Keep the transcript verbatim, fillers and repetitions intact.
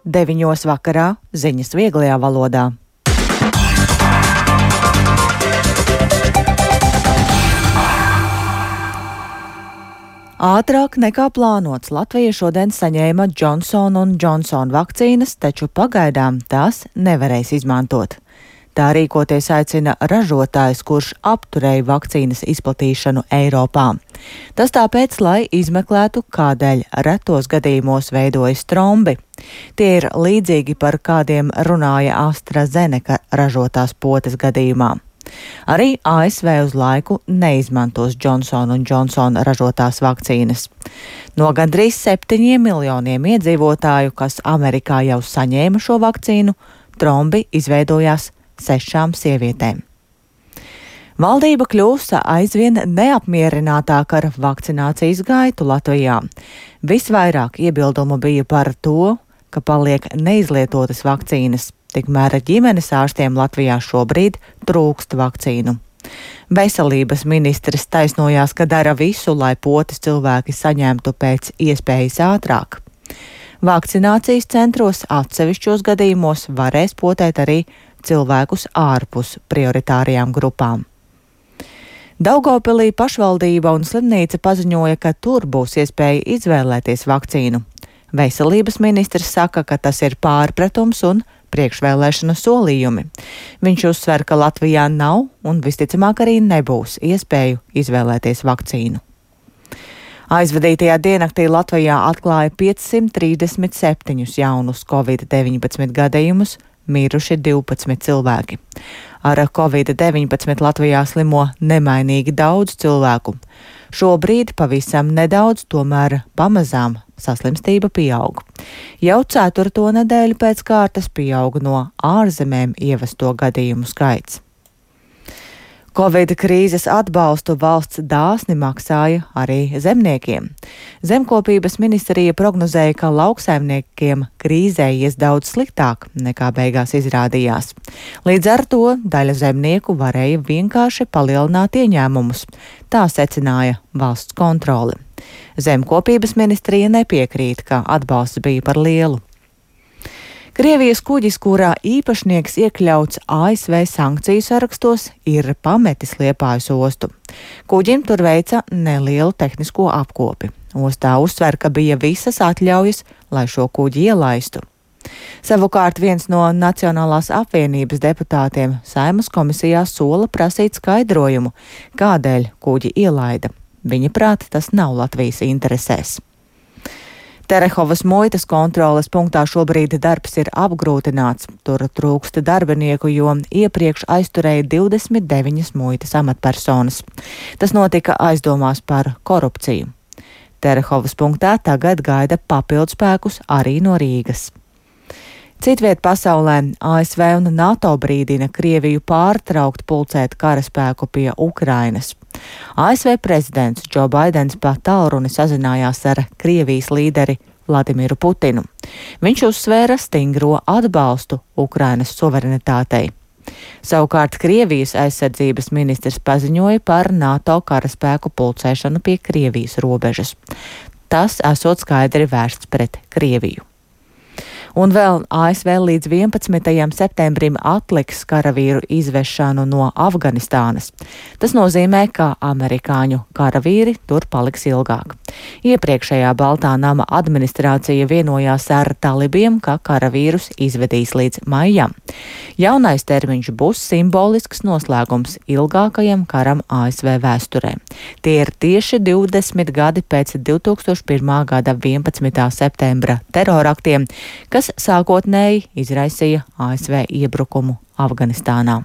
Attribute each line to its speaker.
Speaker 1: Deviņos vakarā ziņas vieglajā valodā. Ātrāk nekā plānots Latvija šodien saņēma Johnson un Johnson vakcīnas, taču pagaidām tās nevarēs izmantot. Tā rīkoties aicina ražotājs, kurš apturēja vakcīnas izplatīšanu Eiropā. Tas tāpēc, lai izmeklētu, kādēļ retos gadījumos veidojas trombi. Tie ir līdzīgi par kādiem runāja AstraZeneca ražotās potes gadījumā. Arī A S V uz laiku neizmantos Johnson un Johnson ražotās vakcīnas. No gandrīz septiņiem miljoniem iedzīvotāju, kas Amerikā jau saņēma šo vakcīnu, trombi izveidojās sešām sievietēm. Valdība kļūst aizvien neapmierinātāka ar vakcinācijas gaitu Latvijā. Visvairāk iebildumu bija par to, ka paliek neizlietotas vakcīnas. Tikmēr ģimenes ārstiem Latvijā šobrīd trūkst vakcīnu. Veselības ministrs taisnojās, ka dara visu, lai potes cilvēki saņemtu pēc iespējas ātrāk. Vakcinācijas centros atsevišķos gadījumos varēs potēt arī cilvēkus ārpus prioritārajām grupām. Daugavpilī pašvaldība un slimnīca paziņoja, ka tur būs iespēja izvēlēties vakcīnu. Veselības ministrs saka, ka tas ir pārpratums un priekšvēlēšanu solījumi. Viņš uzsver, ka Latvijā nav un visticamāk arī nebūs iespēju izvēlēties vakcīnu. Aizvadītajā diennaktī Latvijā atklāja piecsimt trīsdesmit septiņus jaunus covid deviņpadsmit gadījumus, miruši divpadsmit cilvēki. Ar covid deviņpadsmit Latvijā slimo nemainīgi daudz cilvēku. Šobrīd pavisam nedaudz, tomēr pamazām saslimstība pieaug. Jau ceturto nedēļu pēc kārtas pieaug no ārzemēm ievesto gadījumu skaits. Covid krīzes atbalstu valsts dāsni maksāja arī zemniekiem. Zemkopības ministrija prognozēja, ka lauksaimniekiem krīzē ies daudz sliktāk nekā beigās izrādījās. Līdz ar to daļa zemnieku varēja vienkārši palielināt ieņēmumus. Tā secināja valsts kontrole. Zemkopības ministrija nepiekrīt, ka atbalsts bija par lielu. Krievijas kuģis, kurā īpašnieks iekļauts A S V sankciju sarakstos, ir pametis Liepājas ostu. Kuģim tur veica nelielu tehnisko apkopi. Ostā uzsver, ka bija visas atļaujas, lai šo kuģi ielaistu. Savukārt viens no Nacionālās apvienības deputātiem Saeimas komisijā sola prasīt skaidrojumu, kādēļ kuģi ielaida. Viņa prāt, tas nav Latvijas interesēs. Terehovas muitas kontroles punktā šobrīd darbs ir apgrūtināts. Tur trūkst darbinieku, jo iepriekš aizturēja divdesmit deviņas muitas amatpersonas. Tas notika aizdomās par korupciju. Terehovas punktā tagad gaida papildspēkus arī no Rīgas. Citviet pasaulē A S V un NATO brīdina Krieviju pārtraukt pulcēt karaspēku pie Ukrainas. A S V prezidents Džo Baidens pa tālruni sazinājās ar Krievijas līderi Vladimiru Putinu. Viņš uzsvēra stingro atbalstu Ukrainas suverenitātei. Savukārt Krievijas aizsardzības ministrs paziņoja par NATO karaspēku pulcēšanu pie Krievijas robežas. Tas esot skaidri vērsts pret Krieviju. Un vēl A S V līdz vienpadsmitajam septembrim atliks karavīru izvešanu no Afganistānas. Tas nozīmē, ka amerikāņu karavīri tur paliks ilgāk. Iepriekšējā Baltā nama administrācija vienojās ar talibiem, ka karavīrus izvedīs līdz maijam. Jaunais termiņš būs simbolisks noslēgums ilgākajam karam A S V vēsturē. Tie ir tieši divdesmit gadi pēc divtūkstoš pirmā gada vienpadsmitā septembra teroraktiem, kas sākotnēji izraisīja A S V iebrukumu Afganistānā.